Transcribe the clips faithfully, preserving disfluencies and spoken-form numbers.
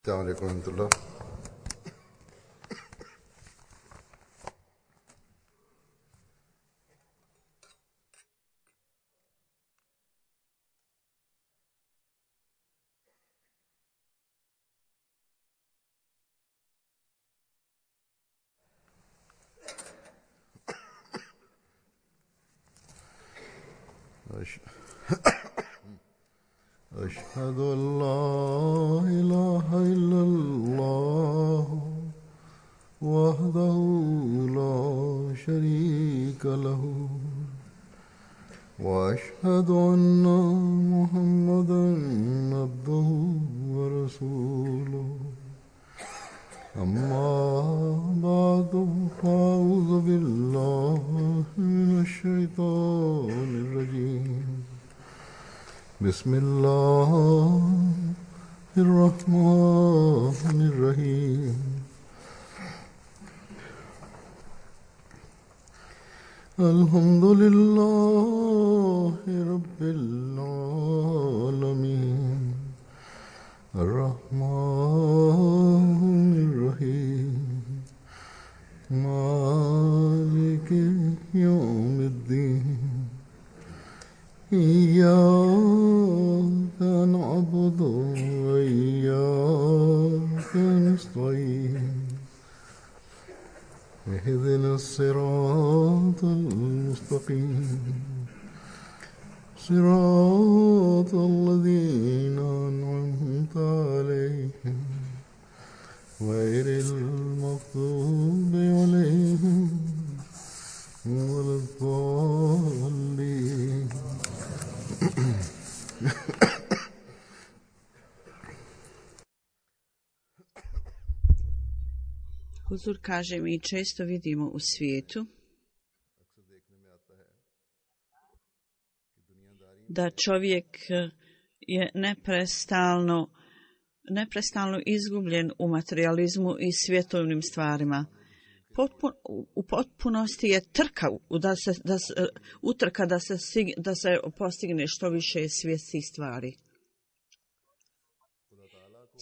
السلام عليكم ورحمة الله. أشهد أن لا إله إلا الله وحده لا شريك له وأشهد أن محمدا عبده ورسوله أما بعد فأعوذ بالله من الشيطان الرجيم بسم الله الرحمن الرحيم الحمد لله رب العالمين الرحمن الرحيم مالك يوم الدين إياك نعبد وإياك نستعين اهدنا الصراط المستقيم صراط الذين أنعمت عليهم غير المغضوب عليهم ولا الضالين. Huzur kaže, mi često vidimo u svijetu da čovjek je neprestalno, neprestalno izgubljen u materijalizmu i svjetovnim stvarima. Potpun, u potpunosti je trka, da se, da se, utrka da se, da se postigne što više svjetskih stvari.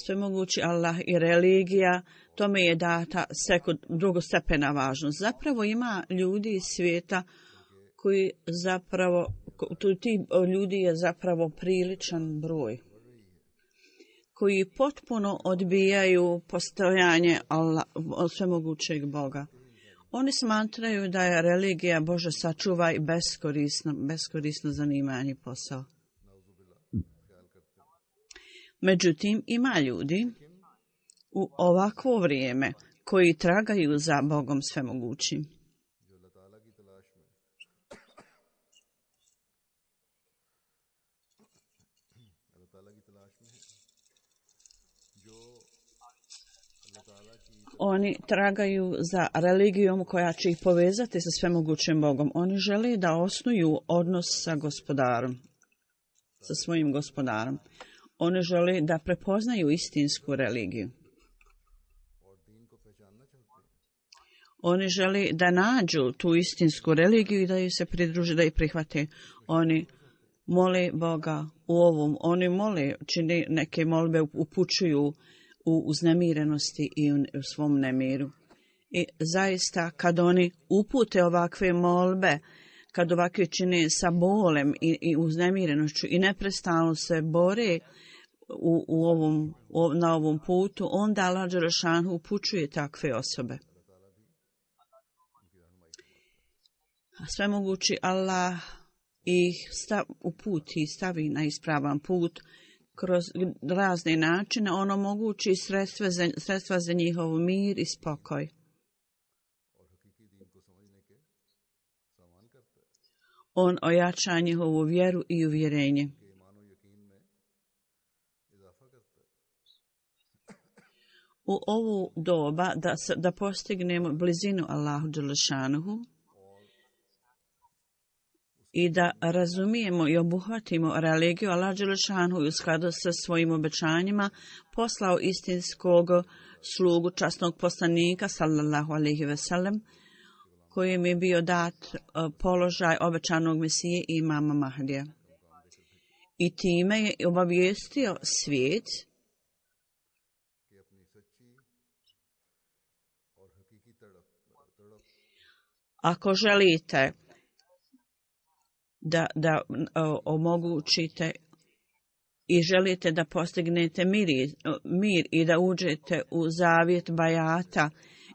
Svemogući Allah i religija, tome je data sekund, drugostepena važnost. Zapravo ima ljudi iz svijeta koji zapravo, ti ljudi je zapravo priličan broj, koji potpuno odbijaju postojanje Allah, svemogućeg Boga. Oni smatraju da je religija, Bože sačuvaj, beskorisno, beskorisno zanimanje posao. Međutim, ima ljudi u ovakvo vrijeme koji tragaju za Bogom svemogućim. Oni tragaju za religijom koja će ih povezati sa svemogućim Bogom. Oni žele da osnuju odnos sa gospodarom, sa svojim gospodarom. Oni žele da prepoznaju istinsku religiju. Oni žele da nađu tu istinsku religiju i da ju se pridruže, da ju prihvate. Oni mole Boga u ovom. Oni mole, čini neke molbe, upućuju u uznemirenosti i u svom nemiru. I zaista kad oni upute ovakve molbe, kad ovakve čine sa bolem i, i uznemirenošću i neprestano se bore u, u ovom, u, na ovom putu, onda Allah dželešanu upućuje takve osobe. Svemogući Allah ih stav, uputi, stavi na ispravan put kroz razne načine, on omogući sredstva za, sredstva za njihov mir i spokoj. On ojača njihovu vjeru i uvjerenje. U ovu doba da, da postignemo blizinu Allahu dželešanuhu i da razumijemo i obuhvatimo religiju, Allah dželešanuhu u skladu sa svojim obećanjima poslao istinskog slugu, časnog poslanika sallallahu alejhi ve sellem, kojem je bio dat položaj obećanog Mesije i imama Mahdija. I time je obavijestio svijet Ako želite da, da o, omogućite i želite da postignete mir, mir i da uđete u zavjet bajata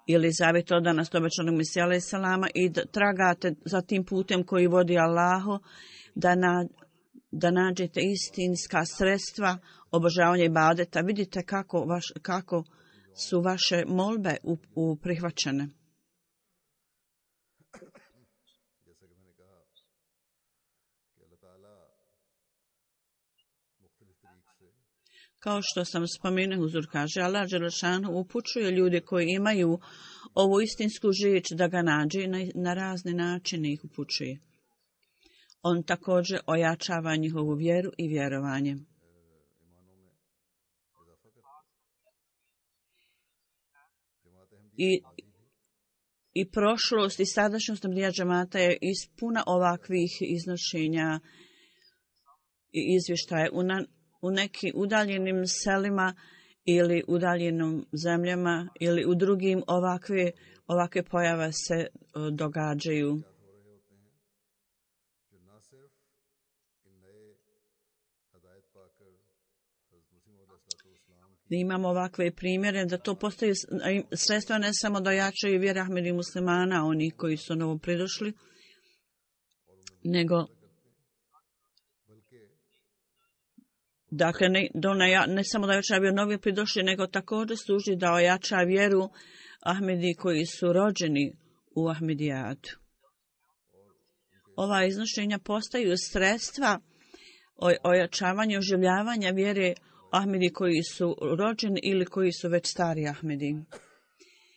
ili zavjet odanost obećanog Mesija alejhi selama i da tragate za tim putem koji vodi Allahu, da, na, da nađete istinska sredstva obožavanja ibadeta. Vidite kako, vaš, kako su vaše molbe u, u prihvaćene. Kao što sam spomenuo, Huzur kaže, Allah dželešanu upućuje ljude koji imaju ovu istinsku žič da ga nađe i na, na razne načine ih upućuje. On također ojačava njihovu vjeru i vjerovanje. I, i prošlost i sadašnjost Ahmedija džemata je ispuna ovakvih iznošenja i izvještaja u na, u nekim udaljenim selima ili udaljenim zemljama ili u drugim ovakve, ovakve pojave se događaju. Imamo ovakve primjere da to postoji sredstva ne samo da jačaju vjeru Ahmedi muslimana, oni koji su novo pridošli, nego dakle, ne, ne, ne samo da ojača vjeru novi pridošli, nego također služi da ojača vjeru Ahmedi koji su rođeni u Ahmedijatu. Ova iznošenja postaju sredstva ojačavanja, oživljavanja vjere Ahmedi koji su rođeni ili koji su već stari Ahmedi.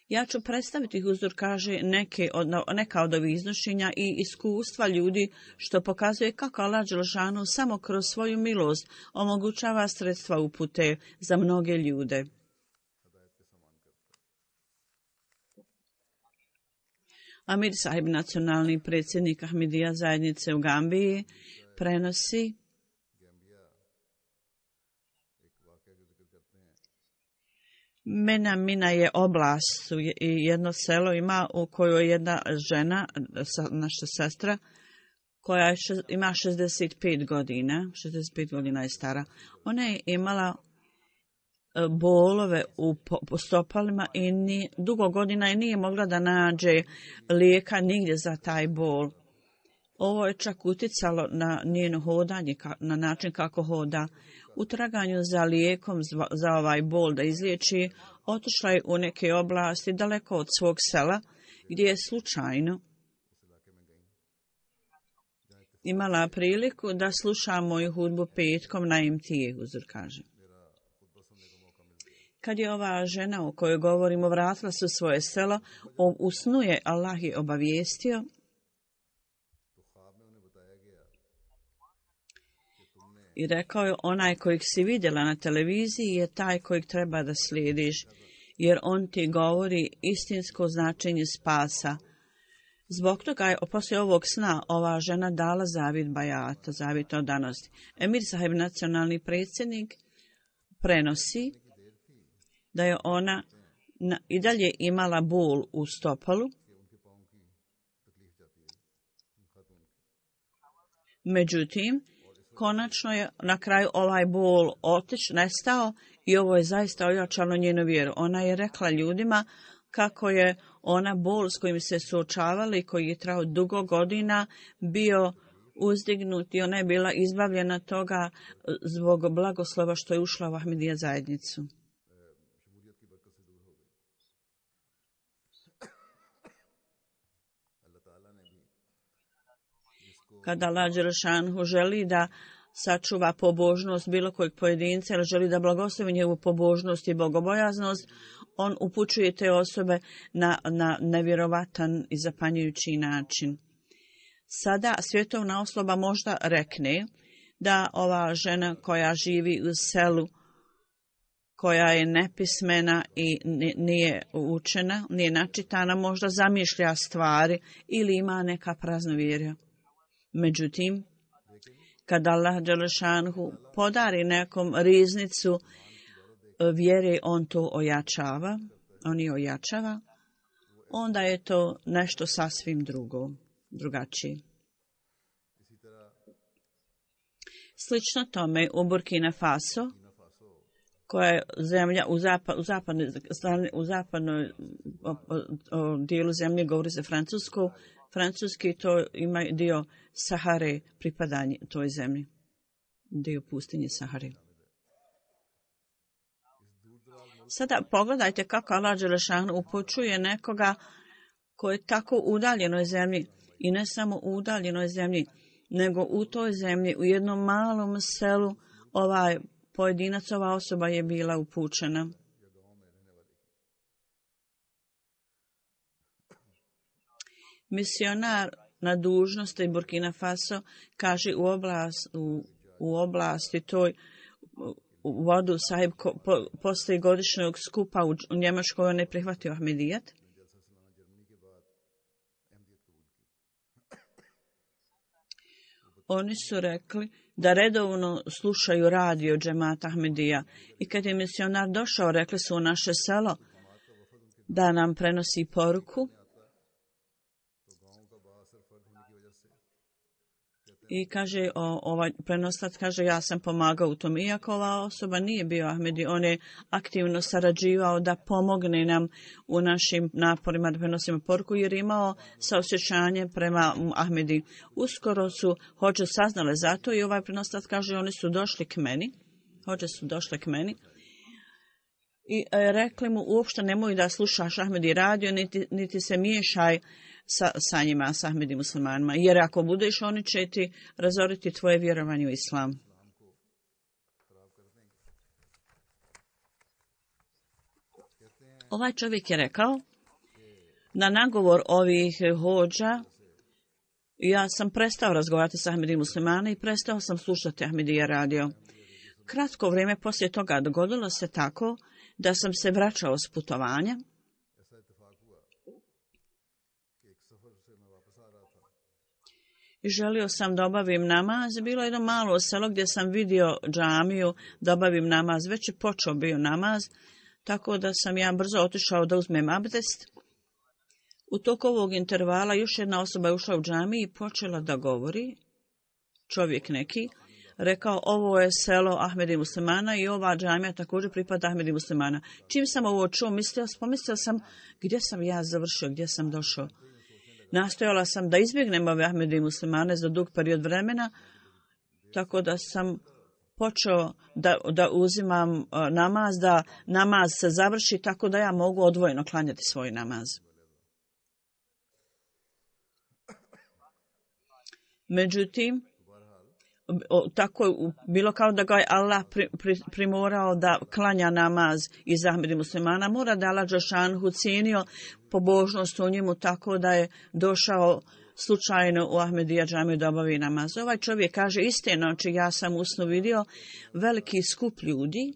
Ja ću predstaviti, Huzur kaže, neke od, neka od ovih iznošenja i iskustva ljudi, što pokazuje kako Allah dželešanu samo kroz svoju milost omogućava sredstva upute za mnoge ljude. Amir Sahib, nacionalni predsjednik Ahmedija zajednice u Gambiji, prenosi Mena Mina je oblast i jedno selo ima u kojoj jedna žena, naša sestra, koja je, ima šezdeset pet godina, šezdeset pet godina je stara. Ona je imala bolove u stopalima i ni, dugo godina je nije mogla da nađe lijeka nigdje za taj bol. Ovo je čak uticalo na njeno hodanje, na način kako hoda. U traganju za lijekom za ovaj bol da izliječi, otišla je u neke oblasti daleko od svog sela, gdje je slučajno imala priliku da sluša moju hudbu petkom na M T A, Huzur kaže. Kad je ova žena o kojoj govorimo vratila se u svoje selo, u snu je Allah je obavijestio i rekao je, onaj kojeg si vidjela na televiziji je taj kojeg treba da slijediš, jer on ti govori istinsko značenje spasa. Zbog toga je poslije ovog sna ova žena dala zavjet bajata, zavjet odanosti. Emir Sahib, nacionalni predsjednik, prenosi da je ona na, i dalje imala bol u stopalu. Međutim, konačno je na kraju ovaj bol otiš, nestao i ovo je zaista ojačalo njenu vjeru. Ona je rekla ljudima kako je ona bol s kojim se suočavala i koji je trajao dugo godina bio uzdignut i ona je bila izbavljena toga zbog blagoslova što je ušla u Ahmedija zajednicu. Kada Allah dželešanu želi da sačuva pobožnost bilo kojeg pojedinca ili želi da blagoslovi njegovu pobožnost i bogobojaznost, on upućuje te osobe na, na nevjerovatan i zapanjujući način. Sada svjetovna osoba možda rekne da ova žena koja živi u selu, koja je nepismena i nije učena, nije načitana, možda zamišlja stvari ili ima neka praznovjerja. Međutim, kada Allah dželešanu podari nekom riznicu vjere on to ojačava, on je ojačava, onda je to nešto sasvim drugo, drugačije. Slično tome u Burkina Faso, koja je zemlja u, zapad, u, zapadnoj, u zapadnoj o, o, o, dijelu zemlje govori se francusko, francuski to ima dio Sahare pripadanje toj zemlji, dio pustinje Sahare. Sada pogledajte kako Allah dželešanu upućuje nekoga koji je tako u udaljenoj zemlji i ne samo u udaljenoj zemlji, nego u toj zemlji, u jednom malom selu, ovaj pojedinac, ova osoba je bila upućena. Misionar na dužnosti Burkina Faso kaže u, oblast, u, u oblasti toj u vodu sahib ko, po, poslije godišnjeg skupa u, u Njemačkoj on je prihvatio Ahmedijat. Oni su rekli da redovno slušaju radio džemata Ahmedija i kad je misionar došao, rekli su u naše selo da nam prenosi poruku. I kaže, o, ovaj prenoslac kaže, ja sam pomagao u tom. Iako ova osoba nije bio Ahmedi, on je aktivno sarađivao da pomogne nam u našim naporima da prenosimo poruku, jer je imao saosjećanje prema Ahmedi. Uskoro su hođe saznale za to i ovaj prenoslac kaže, oni su došli k meni, hođe su došli k meni i e, rekli mu, uopšte nemoj da slušaš Ahmedi radio, niti, niti se miješaj Sa, sa njima, sa Ahmedi muslimanima. Jer ako budeš, oni će ti razoriti tvoje vjerovanje u islam. Ovaj čovjek je rekao, na nagovor ovih hođa, ja sam prestao razgovarati sa Ahmedi muslimana i prestao sam slušati Ahmedija radio. Kratko vrijeme poslije toga dogodilo se tako da sam se vraćao s putovanja. I želio sam da obavim namaz. Bilo je jedno malo selo gdje sam vidio džamiju da obavim namaz. Već je počeo bio namaz, tako da sam ja brzo otišao da uzmem abdest. U toku ovog intervala još jedna osoba je ušla u džamiju i počela da govori. Čovjek neki. Rekao, ovo je selo Ahmedi muslimana i ova džamija također pripada Ahmedi muslimana. Čim sam ovo čuo, mislio, pomislio sam gdje sam ja završio, gdje sam došao. Nastojala sam da izbjegnem ove Ahmedi muslimane za dug period vremena, tako da sam počeo da, da uzimam uh, namaz, da namaz se završi tako da ja mogu odvojeno klanjati svoj namaz. Međutim, o, tako je bilo kao da ga je Allah pri, pri, primorao da klanja namaz iz Ahmedi muslimana. Mora da Allah dželešanu cijenio pobožnost u njemu tako da je došao slučajno u Ahmedija džamiju da obavi namaz. Ovaj čovjek kaže, iste noći ja sam u snu vidio veliki skup ljudi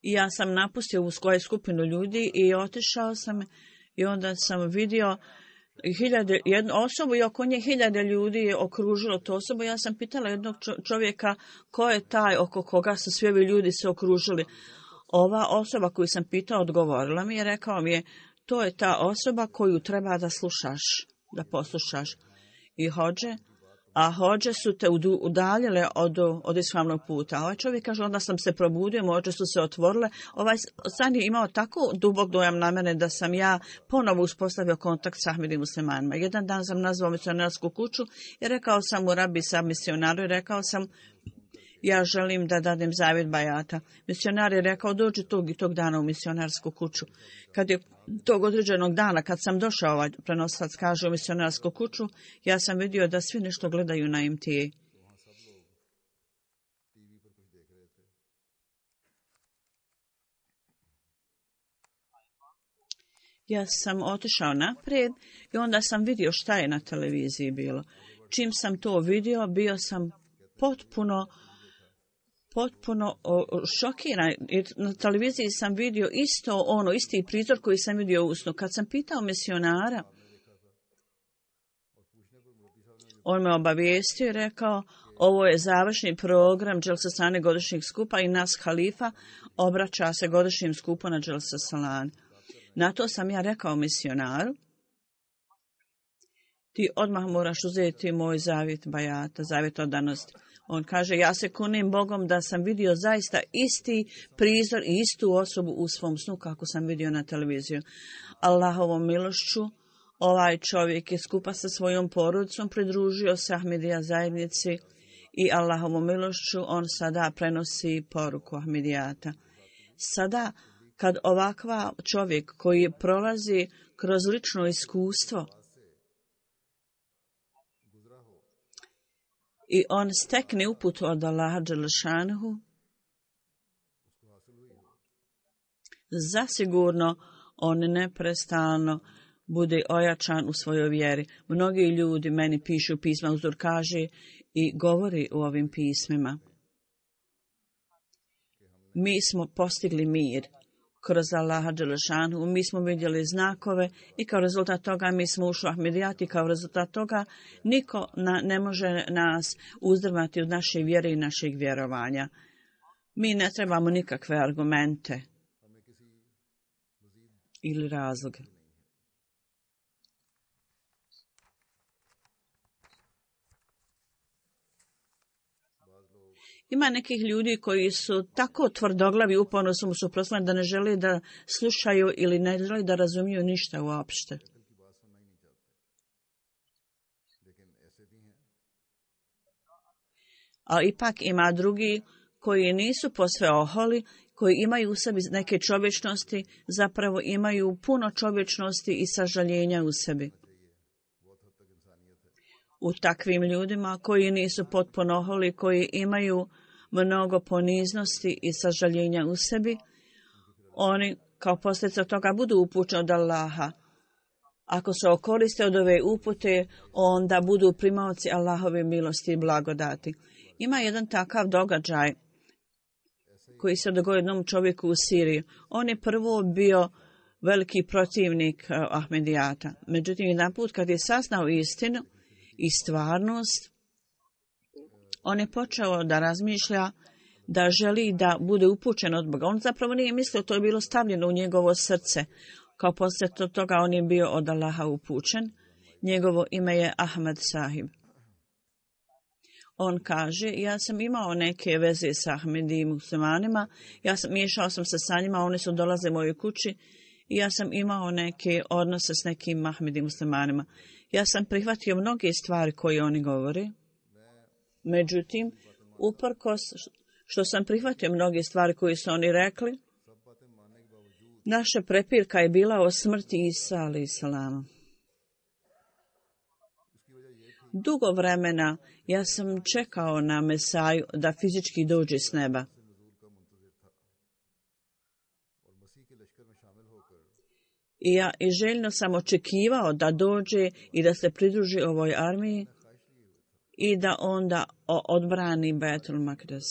i ja sam napustio u svoju skupinu ljudi i otišao sam i onda sam vidio hiljade, jednu osobu i oko nje hiljade ljudi je okružilo tu osobu. Ja sam pitala jednog čovjeka ko je taj oko koga su svi ovi ljudi se okružili. Ova osoba koju sam pitao odgovorila mi je, rekao mi je, to je ta osoba koju treba da slušaš, da poslušaš. I hođe, a hođe su te udaljile od, od islamnog puta. Ovaj čovjek kaže, onda sam se probudio, moje su se otvorile. Ovaj san je imao tako dubok dojam na mene da sam ja ponovo uspostavio kontakt sa Ahmedi muslimanima. Jedan dan sam nazvao misionarsku kuću i rekao sam u rabi sa misionaru i rekao sam, ja želim da dadem zavjet bajata. Misionar je rekao, dođi tog i tog dana u misionarsku kuću. Kad je tog određenog dana, kad sam došao, ovaj prenoslac kaže u misionarsku kuću, ja sam vidio da svi nešto gledaju na M T A. Ja sam otišao naprijed i onda sam vidio šta je na televiziji bilo. Čim sam to vidio, bio sam potpuno potpuno šokiran. Na televiziji sam vidio isto ono, isti prizor koji sam vidio u snu. Kad sam pitao misionara, on me obavijestio i rekao, ovo je završni program Dželsa Salane godišnjeg skupa i nas halifa obraća se godišnjim skupu na Dželsa Salane. Na to sam ja rekao misionaru, ti odmah moraš uzeti moj zavjet bajata, zavjet odanosti. On kaže, ja se kunim Bogom da sam vidio zaista isti prizor i istu osobu u svom snu kako sam vidio na televiziju. Allahovom milošću ovaj čovjek je skupa sa svojom porodicom pridružio se Ahmedija zajednici i Allahovom milošću on sada prenosi poruku Ahmedijata. Sada kad ovakva čovjek koji prolazi kroz lično iskustvo i on stekne uputu od Allaha dželešanuhu, zasigurno on neprestano bude ojačan u svojoj vjeri. Mnogi ljudi meni pišu pisma, Uzur kaže i govori u ovim pismima. Mi smo postigli mir kroz Allaha dželešanuhu, mi smo vidjeli znakove i kao rezultat toga mi smo ušli u Ahmedijat i kao rezultat toga niko na, ne može nas uzdrmati od naše vjere i našeg vjerovanja. Mi ne trebamo nikakve argumente ili razloge. Ima nekih ljudi koji su tako tvrdoglavi, uporno su mu suprotstavljeni da ne žele da slušaju ili ne žele da razumiju ništa uopšte. A ipak ima drugi koji nisu posve oholi, koji imaju u sebi neke čovječnosti, zapravo imaju puno čovječnosti i sažaljenja u sebi. U takvim ljudima koji nisu potpuno oholi, koji imaju mnogo poniznosti i sažaljenja u sebi, oni kao posljedica toga budu upućeni od Allaha. Ako se okoriste od ove upute, onda budu primaoci Allahove milosti i blagodati. Ima jedan takav događaj koji se dogodio jednom čovjeku u Siriji. On je prvo bio veliki protivnik Ahmedijata. Međutim, jedan put kad je saznao istinu i stvarnost, on je počeo da razmišlja da želi da bude upućen od Boga. On zapravo nije mislio, to je bilo stavljeno u njegovo srce. Kao posljedica toga on je bio od Allaha upućen. Njegovo ime je Ahmed Sahib. On kaže, ja sam imao neke veze sa Ahmedi muslimanima, ja sam, miješao sam se sa njima, oni su dolaze mojoj kući i ja sam imao neke odnose s nekim Ahmedi muslimanima. Ja sam prihvatio mnoge stvari koje oni govore. Međutim, uprkos što sam prihvatio mnoge stvari koje su oni rekli, naša prepirka je bila o smrti Isa alejhi selam. Dugo vremena ja sam čekao na Mesaju da fizički dođe s neba. I ja i željno sam očekivao da dođe i da se pridruži ovoj armiji i da onda odbrani Bejtul Makdes.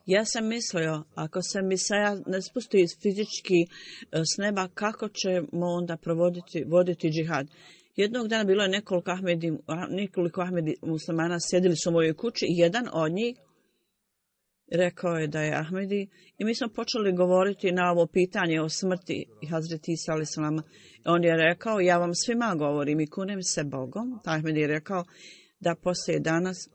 Ja sam mislio, ako se Mesaja ne spusti fizički s neba, kako ćemo onda provoditi, voditi džihad? Jednog dana bilo je nekoliko Ahmedi, nekoliko Ahmedi muslimana, sjedili su u mojoj kući i jedan od njih rekao je da je Ahmedi i mi smo počeli govoriti na ovo pitanje o smrti i Hazreti Isa alejhi selam. On je rekao, ja vam svima govorim i kunem se Bogom. Ahmedi je rekao da poslije danas,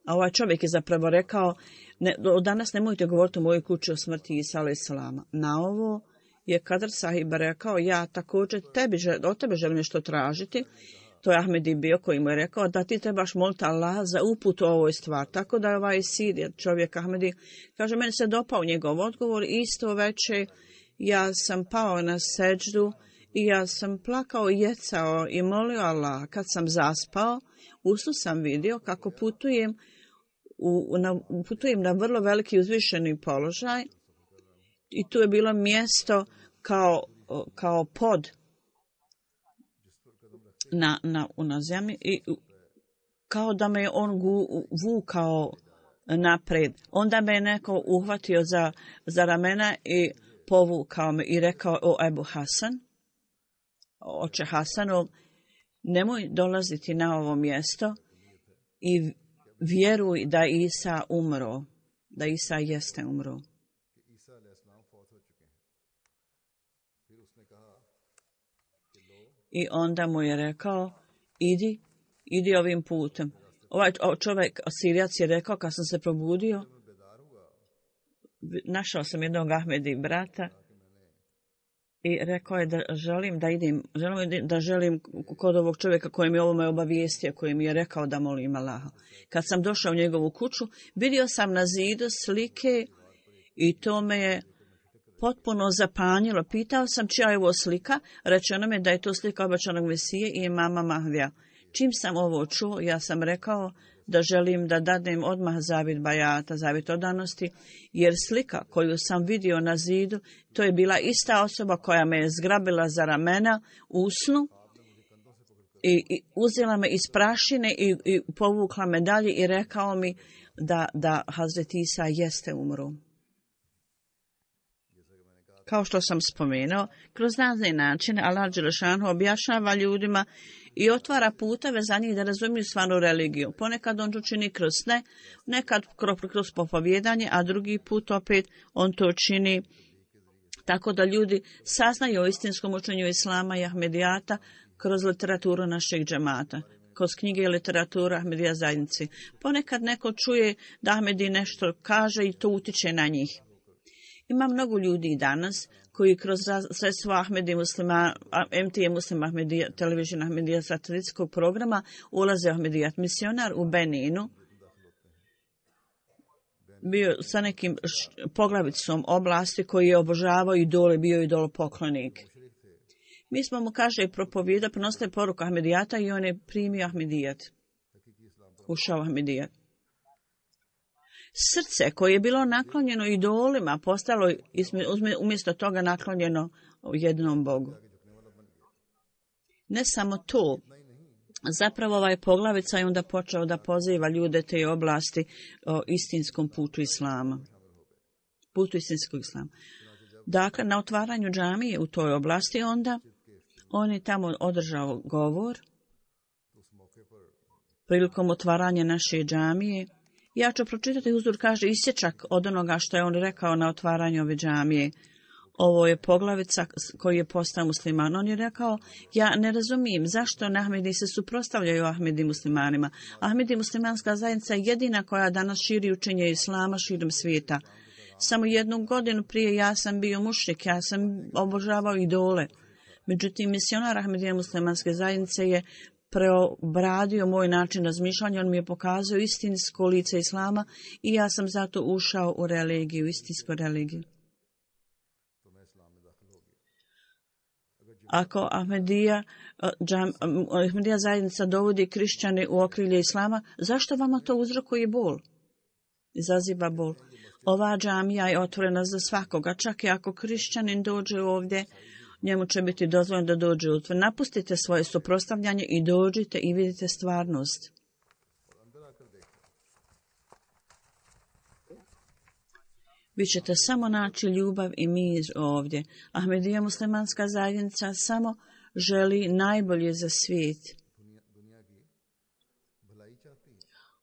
a ovaj čovjek je zapravo rekao, ne, od danas nemojte govoriti u mojoj kući o smrti Isa alejhi selam. Na ovo je Kadr Sahib rekao, ja također tebi, od tebe želim nešto tražiti. To je Ahmedi bio koji mu je rekao da ti trebaš moliti Allaha za uput u ovoj stvar. Tako da je ovaj Sir, čovjek Ahmedi, kaže, meni se dopao njegov odgovor. Isto veče ja sam pao na seđdu i ja sam plakao i jecao i molio Allaha. Kad sam zaspao, u snu sam vidio kako putujem, u, na, putujem na vrlo veliki uzvišeni položaj i tu je bilo mjesto kao, kao pod na, na, na zemlji i kao da me on gu, vukao napred. Onda me je neko uhvatio za, za ramena i povukao me i rekao: o Ebu Hasan, oče Hasanov, nemoj dolaziti na ovo mjesto i vjeruj da Isa umro, da Isa jeste umro. I onda mu je rekao: idi, idi ovim putem. Ovaj čovjek, Sirijac, je rekao kad sam se probudio, našao sam jednog Ahmedi brata i rekao je da želim da idem, želim da želim kod ovog čovjeka koji mi ovo me obavijestio, koji mi je rekao da molim Allaha. Kad sam došao u njegovu kuću, vidio sam na zidu slike i to me je potpuno zapanjilo. Pitao sam čija je ovo slika, rečeno mi da je to slika obećanog Mesije i imama Mahdija. Čim sam ovo čuo, ja sam rekao da želim da dadnem odmah zavjet bajata, zavjet odanosti, jer slika koju sam vidio na zidu, to je bila ista osoba koja me je zgrabila za ramena u snu i, i uzela me iz prašine i, i povukla me dalje i rekao mi da, da Hazret Isa jeste umro. Kao što sam spomenuo, kroz razne načine Allah dželešanu objašnjava ljudima i otvara puteve za njih da razumiju stvarnu religiju. Ponekad on to čini kroz sne, nekad kroz popovjedanje, a drugi put opet on to čini tako da ljudi saznaju o istinskom učenju Islama i Ahmedijata kroz literaturu našeg džemata, kroz knjige i literaturu Ahmedija zajednici. Ponekad neko čuje da Ahmedi nešto kaže i to utiče na njih. Ima mnogo ljudi danas koji kroz sredstvo Ahmedi Muslima, M T A Muslim Ahmedija, Television Ahmedija satelitskog programa ulaze u Ahmedijat. Misionar u Beninu bio sa nekim poglavicom oblasti koji je obožavao idole, bio idolopoklonik. Mi smo mu, kaže, propovjeda, prenosili poruku Ahmedijata i on je primio Ahmedijat. Ušao u Ahmedijat. Srce koje je bilo naklonjeno idolima postalo umjesto toga naklonjeno jednom Bogu. Ne samo to, zapravo ovaj poglavica je onda počeo da poziva ljude te oblasti o istinskom putu Islama. Putu istinskog Islama. Dakle, na otvaranju džamije u toj oblasti onda on je tamo održao govor prilikom otvaranja naše džamije. Ja ću pročitati, Huzur kaže, isječak od onoga što je on rekao na otvaranju ove džamije. Ovo je poglavica koji je postao musliman. On je rekao: ja ne razumijem zašto Ahmedi se suprotstavljaju Ahmedi muslimanima. Ahmedi muslimanska zajednica je jedina koja danas širi učenje Islama širom svijeta. Samo jednu godinu prije ja sam bio mušrik, ja sam obožavao idole. Međutim, misionar Ahmedija muslimanske zajednice je preobradio moj način razmišljanja, on mi je pokazao istinsko lice Islama i ja sam zato ušao u religiju, istinsku religiju. Ako Ahmedija, džam, Ahmedija zajednica dovodi kršćane u okrilje Islama, zašto vama to uzrokuje bol? Izaziva bol. Ova džamija je otvorena za svakoga, čak i ako kršćanin dođe ovdje, njemu će biti dozvoljeno da dođe u tvr. Napustite svoje suprotstavljanje i dođite i vidite stvarnost. Vi ćete samo naći ljubav i mir ovdje. Ahmedija muslimanska zajednica samo želi najbolje za svijet.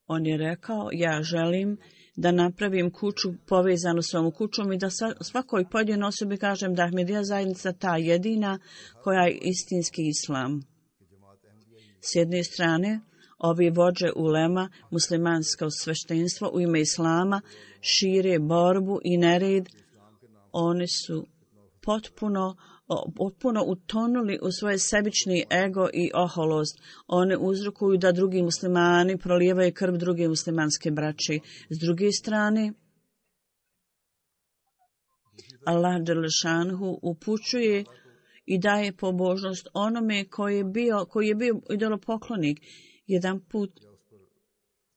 On je rekao: ja želim da napravim kuću povezanu s ovom kućom i da svakoj pojedinoj osobi kažem da Ahmedija zajednica ta jedina koja je istinski islam. S jedne strane, ovi vođe ulema, muslimansko sveštenstvo u ime islama šire borbu i nered. Oni su potpuno, potpuno utonuli u svoje sebični ego i oholost. One uzrokuju da drugi muslimani prolijevaju krv druge muslimanske braće. S druge strane, Allah dželešanhu upućuje i daje pobožnost onome koji je bio, koji je bio idolopoklonik. Jedan put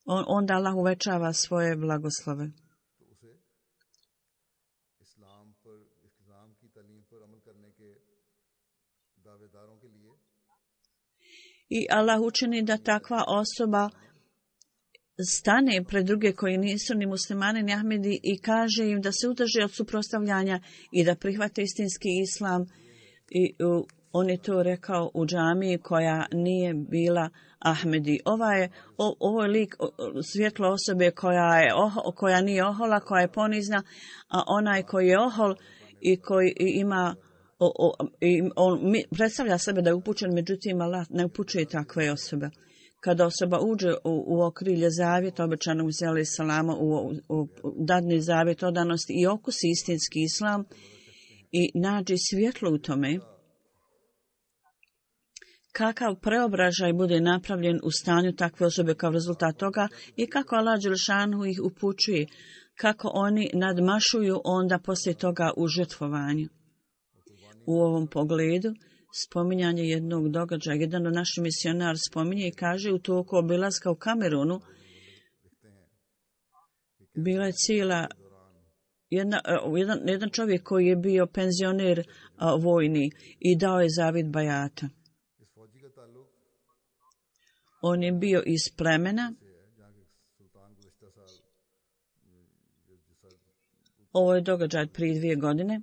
on, onda Allah uvećava svoje blagoslove. I Allah učini da takva osoba stane pred druge koji nisu ni muslimani ni Ahmedi i kaže im da se udrže od suprotstavljanja i da prihvate istinski islam. I uh, on je to rekao u džamiji koja nije bila Ahmedi. Ova je, o, ovo je lik svjetlo osobe koja, je, oh, koja nije ohola, koja je ponizna, a onaj koji je ohol i koji ima, o, o, i on predstavlja sebe da je upućen, međutim Allah ne upućuje takve osobe. Kada osoba uđe u, u okrilje zavjeta obećanog zela salama, u, u, u dadni zavjet odanosti i okusi istinski islam i nađe svjetlo u tome, kakav preobražaj bude napravljen u stanju takve osobe kao rezultat toga i kako Allah dželešanu ih upućuje, kako oni nadmašuju onda poslije toga u žrtvovanju. U ovom pogledu spominjanje jednog događaja, jedan od naših misionar spominje i kaže u toku obilaska u Kamerunu bila je cijela jedna, jedan, jedan čovjek koji je bio penzioner a, vojni i dao je zavjet bajata. On je bio iz plemena. Ovo je događaj prije dvije godine.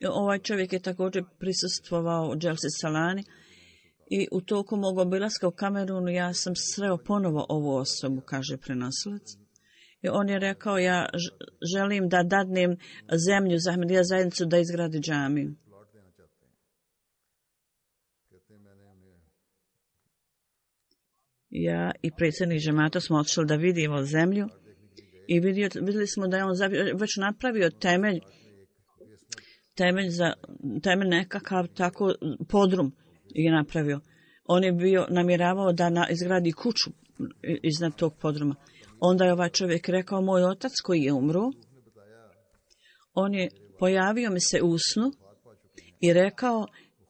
Ovaj čovjek je također prisustvovao u Dželsi Salani i u toku mog obilaska u Kamerunu ja sam sreo ponovo ovu osobu, kaže prenosilac. I on je rekao, ja želim da dadnem zemlju za Ahmedija zajednicu da izgradi džamiju. Ja i predsjednik džemata smo otišli da vidimo zemlju i vidio, vidjeli smo da je on već napravio temelj, temelj za temelj nekakav tako podrum je napravio. On je bio namjeravao da na, izgradi kuću iznad tog podruma. Onda je ovaj čovjek rekao, moj otac koji je umro, on je pojavio mi se u snu i rekao,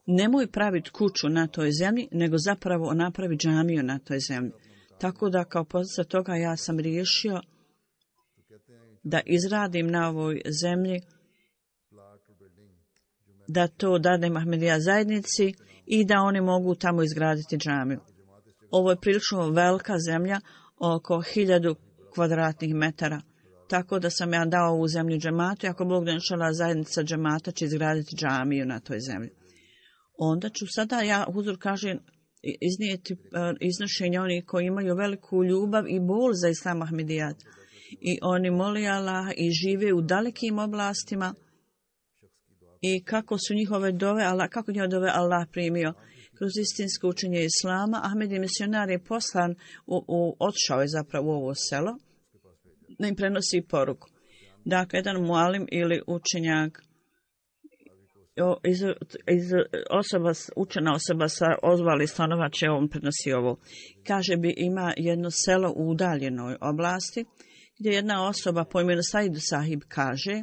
nemoj praviti kuću na toj zemlji, nego zapravo napravi džamiju na toj zemlji. Tako da kao posljedica toga ja sam riješio da izradim na ovoj zemlji, da to dadem Ahmedija zajednici i da oni mogu tamo izgraditi džamiju. Ovo je prilično velika zemlja, oko hiljadu kvadratnih metara. Tako da sam ja dao ovu zemlju džematu i ako Bog da inšala zajednica džemata će izgraditi džamiju na toj zemlji. Onda ću sada, ja huzur kažem, iznijeti uh, iznošenje onih koji imaju veliku ljubav i bol za islam Ahmedijat. I oni moli Allah i žive u dalekim oblastima i kako su njihove dove, Allah, kako njihove dove Allah primio kroz istinsko učenje islama. Ahmedi misionar je poslan, u, u, otišao je zapravo u ovo selo, da im prenosi poruku. Dakle, jedan mualim ili učenjak, iz, iz osoba, učena osoba sa ozvali stanova će on prenosi ovo. Kaže bi ima jedno selo u udaljenoj oblasti gdje jedna osoba po imenu Saidu Sahib kaže,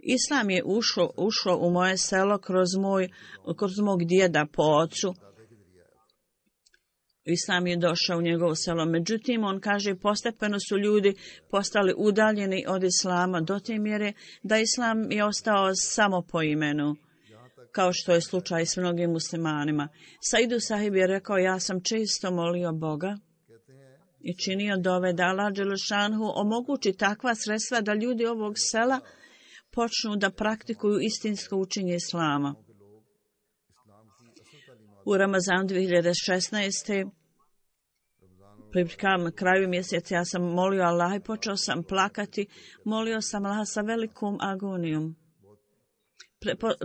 Islam je ušao, ušao u moje selo kroz, moj, kroz mog djeda po ocu. Islam je došao u njegovo selo. Međutim, on kaže, postepeno su ljudi postali udaljeni od Islama do te mjere da Islam je ostao samo po imenu, kao što je slučaj s mnogim muslimanima. Saidu Sahib je rekao, ja sam često molio Boga i činio dove da Allah dželešanhu omogući takva sredstva da ljudi ovog sela počnu da praktikuju istinsko učenje Islama. U Ramazanu dvije hiljade šesnaeste. pri kraju mjeseca ja sam molio Allah i počeo sam plakati. Molio sam Allah sa velikom agonijom.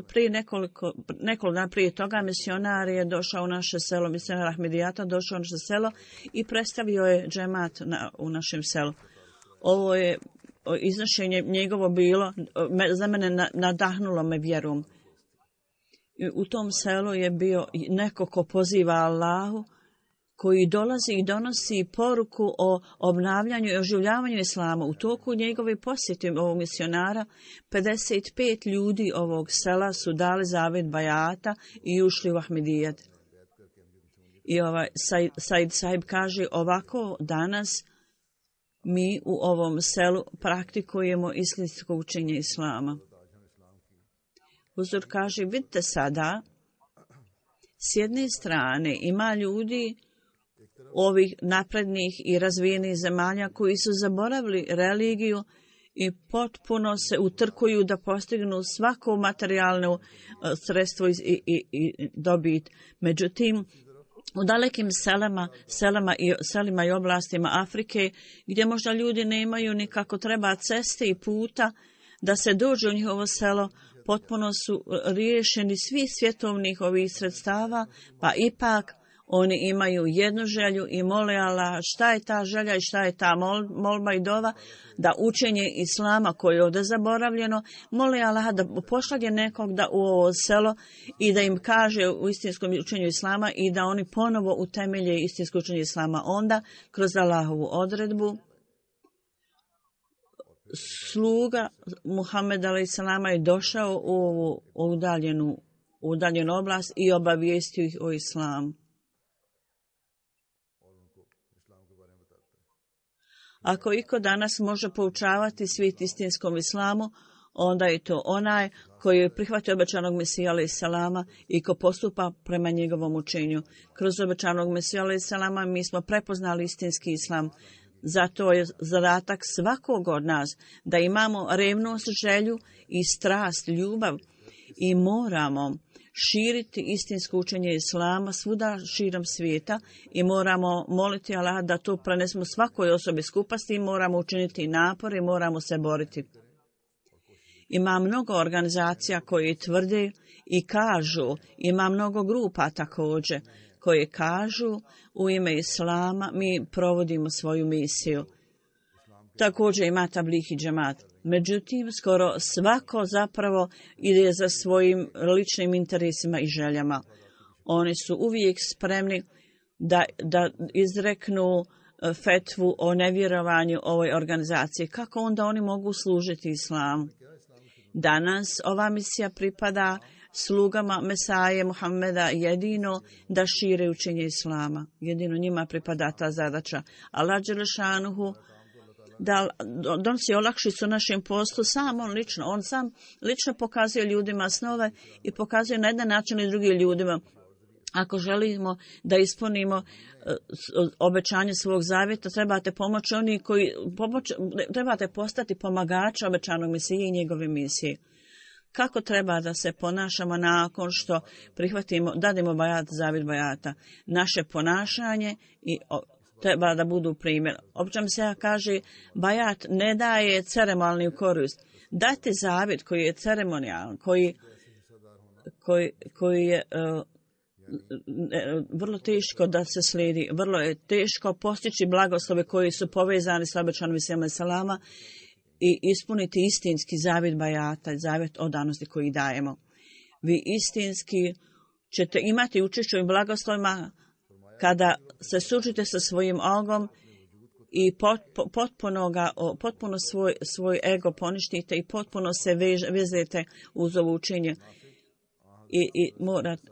Prije nekoliko, nekoliko dana prije toga misionar je došao u naše selo, misionar Ahmedijata došao u naše selo i predstavio je džemat na, u našem selu. Ovo je iznošenje njegovo bilo, za mene nadahnulo me vjerom. U tom selu je bio neko ko poziva Allahu, koji dolazi i donosi poruku o obnavljanju i oživljavanju islama. U toku njegove posjete ovog misionara, pedeset pet ljudi ovog sela su dali zavjet bajata i ušli u Ahmedijat. I ovaj Said, Said Sahib kaže, ovako danas mi u ovom selu praktikujemo istinsko učenje islama. Huzur kaže, vidite sada, s jedne strane ima ljudi ovih naprednih i razvijenih zemalja koji su zaboravili religiju i potpuno se utrkuju da postignu svako materijalno sredstvo i, i, i dobit. Međutim, u dalekim selama, selama i, selima i oblastima Afrike, gdje možda ljudi nemaju nikako treba ceste i puta da se dođe u njihovo selo, potpuno su riješeni svi svjetovnih ovih sredstava, pa ipak oni imaju jednu želju i mole Allah šta je ta želja i šta je ta mol, molba i dova, da učenje Islama koje je ovdje zaboravljeno, mole Allah da pošalje nekog da u ovo selo i da im kaže u istinskom učenju Islama i da oni ponovo utemelje istinsko učenje Islama. Onda, kroz Allahovu odredbu, sluga Muhammed alejhi je došao u ovu udaljenu, udaljenu oblast i obavijestio ih o Islamu. Ako iko danas može poučavati svijet istinskom Islamu, onda je to onaj koji je prihvatio obećanog Mesija alejhi selama i ko postupa prema njegovom učenju. Kroz obećanog Mesija alejhi selama mi smo prepoznali istinski Islam. Zato je zadatak svakog od nas da imamo revnost, želju i strast, ljubav i moramo širiti istinsko učenje Islama svuda širom svijeta i moramo moliti Allah da to prenesemo svakoj osobi skupa, s tim moramo učiniti napor i moramo se boriti. Ima mnogo organizacija koje tvrde i kažu, ima mnogo grupa također koje kažu u ime Islama mi provodimo svoju misiju. Također ima tabligh i džemat. Međutim, skoro svako zapravo ide za svojim ličnim interesima i željama. Oni su uvijek spremni da, da izreknu fetvu o nevjerovanju ovoj organizaciji. Kako onda oni mogu služiti Islamu? Danas ova misija pripada slugama Mesaje Muhammeda jedino da šire učenje Islama. Jedino njima pripada ta zadaća. Allah dželešanuhu da donosi olakšicu našem poslu sam on lično. On sam lično pokazuje ljudima snove i pokazuje na jedan način i drugim ljudima. Ako želimo da ispunimo obećanje svog zavjeta, trebate pomoći oni koji pomoć, trebate postati pomagači obećanog Mesije i njegove misije. Kako treba da se ponašamo nakon što prihvatimo, dadimo bajat, zavjet bajata? Naše ponašanje i treba da budu primjer. Obično se kaže, bajat ne daje ceremonijalnu korist. Dati zavjet koji je ceremonijalan, koji, koji, koji je uh, vrlo teško da se slijedi, vrlo je teško postići blagoslove koji su povezani s obećanim Mesijom selama i ispuniti istinski zavjet bajata, zavjet odanosti koji dajemo. Vi istinski ćete imati učešće u blagoslovima kada se sučite sa svojim ogom i pot, potpuno, ga, potpuno svoj, svoj ego poništite i potpuno se vež, vezete uz ovo učenje. I, i morate,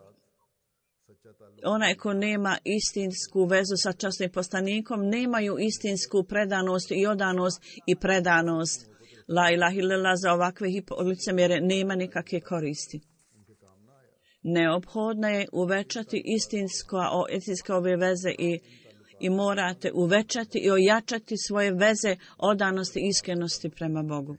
onaj ko nema istinsku vezu sa časnim poslanikom, nemaju istinsku predanost i odanost i predanost. La ilaha illallah za ovakve licemjere nema nikakve koristi. Neophodno je uvećati istinsko, istinske ove veze i, i morate uvećati i ojačati svoje veze odanosti i iskrenosti prema Bogu.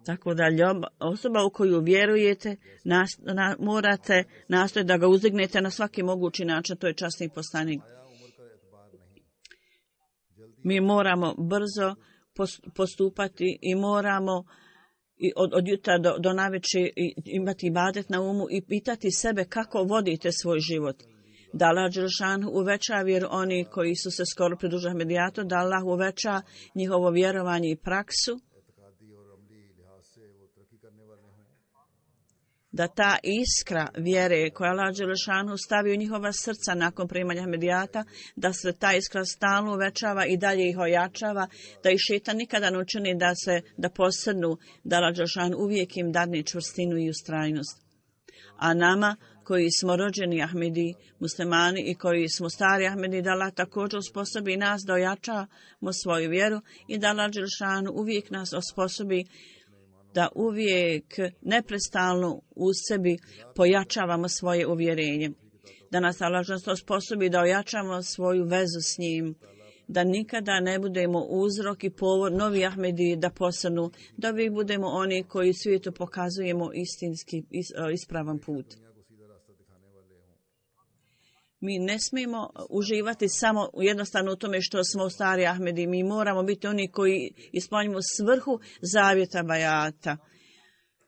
Tako da ljoba, osoba u koju vjerujete, nas, na, morate nastojati da ga uzdignete na svaki mogući način, to je časni poslanik. Mi moramo brzo postupati i moramo i od, od jutra do, do navečer imati ibadet na umu i pitati sebe kako vodite svoj život. Da Allah dželešan uveća vjeru oni koji su se skoro pridružili Ahmedijatu, da Allah uveća njihovo vjerovanje i praksu, da ta iskra vjere koja Allah dželešanu stavi u njihova srca nakon primanja Ahmedijata, da se ta iskra stalno uvećava i dalje ih ojačava, da ih šejtan nikada ne učini da se da posrnu, da Allah dželešanu uvijek im dadne čvrstinu i ustrajnost. A nama koji smo rođeni Ahmedi, muslimani i koji smo stari Ahmedi, da Allah također osposobi nas da ojačamo svoju vjeru i da Allah dželešanu uvijek nas osposobi da uvijek neprestalno u sebi pojačavamo svoje uvjerenje. Da nas Allah osposobi da ojačamo svoju vezu s njim, da nikada ne budemo uzrok i povod novi Ahmedi da postanu, da uvijek budemo oni koji svijetu pokazujemo istinski ispravan put. Mi ne smijemo uživati samo jednostavno u tome što smo stari Ahmedi. Mi moramo biti oni koji ispunjamo svrhu zavjeta bajata.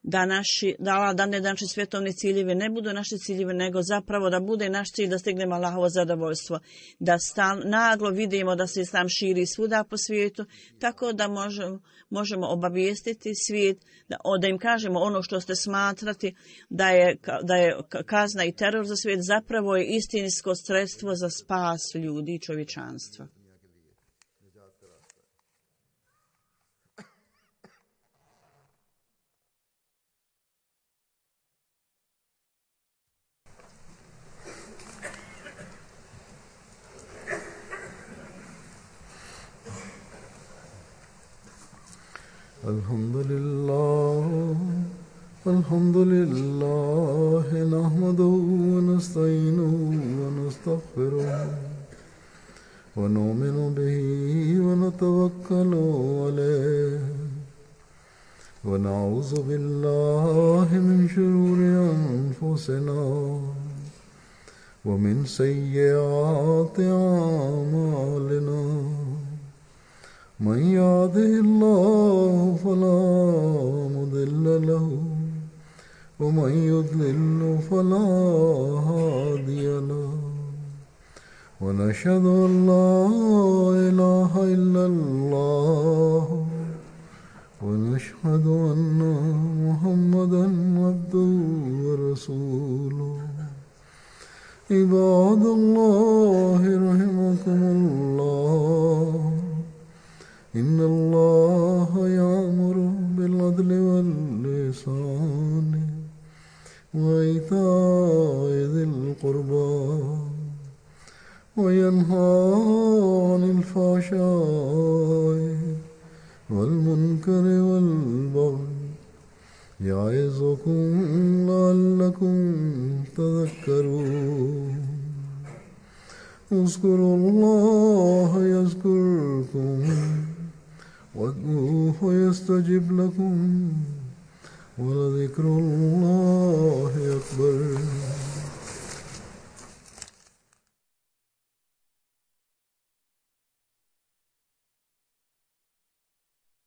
Da naši, da, da ne naši svjetovni ciljevi ne budu naši ciljevi, nego zapravo da bude naš cilj da stignemo Allahovo zadovoljstvo. Da stal, naglo vidimo da se islam širi svuda po svijetu, tako da možemo, možemo obavijestiti svijet, da, da im kažemo ono što ste smatrati da je, da je kazna i teror za svijet, zapravo je istinsko sredstvo za spas ljudi i čovječanstva. الحمد لله الحمد لله نحمده ونستعينه ونستغفره ونؤمن به ونتوكل عليه ونعوذ بالله من شرور أنفسنا ومن سيئات أعمالنا من يهده الله فلا مضل له ومن يضلل فلا هادي له ونشهد أن لا إله إلا الله ونشهد أن محمدا عبده ورسوله عباد الله رحمكم الله إن الله يأمر بالعدل والإحسان وإيتاء ذي القربى وينهى عن الفحشاء والمنكر والبغي يعظكم لعلكم تذكرون اذكروا الله يذكركم وادعوه يستجب لكم ولذكر الله